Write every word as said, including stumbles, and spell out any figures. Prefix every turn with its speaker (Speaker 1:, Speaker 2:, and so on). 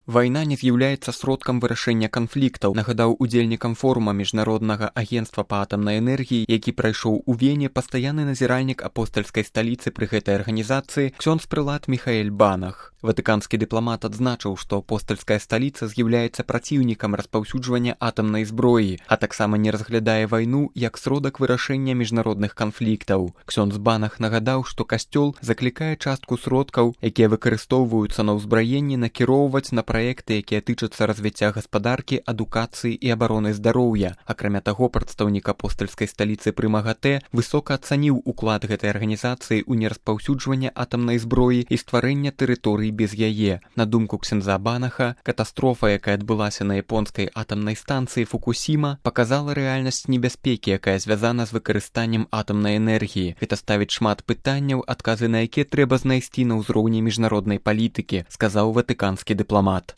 Speaker 1: Вайна не з'яўляецца сродкам вырашэння канфліктаў, нагадаў удзельнікам форума Міжнароднага агенцтва па атамнай энергіі, які прайшоў у Вене пастаянны назіральнік апостальскай сталіцы пры гэтай арганізацыі ксёндз прылад Міхаэль Банах. Ватыканскі дыпламат адзначыў, што апостальская сталіца з'яўляецца праціўнікам распаўсюджвання атамнай зброі, а таксама не разглядае вайну як сродак вырашэння міжнародных канфліктаў. Ксёндз Банах нагадаў, што касцёл заклікае частку сродкаў, якія выкарыстоўваюцца на ўзбраенні, накіроўваць на праекты, якія тычацца развіцця гаспадаркі, адукацыі і абароны здароўя. Акрамя таго, прадстаўнік апостальскай сталіцы пры МАГАТЭ высока ацаніў уклад гэтай арганізацыі ў нераспаўсюджванне атамнай зброі і стварэння тэрыторый без яе. На думку ксяндза Банаха, катастрофа, якая адбылася на японскай атамнай станцыі Фукусіма, паказала рэальнасць небяспекі, якая звязана з выкарыстаннем атамнай энергіі. Гэта ставіць шмат пытанняў, адказы на якія трэба знайсці на ўзроўні міжнароднай палітыкі, сказаў ватыканскі дыпламат.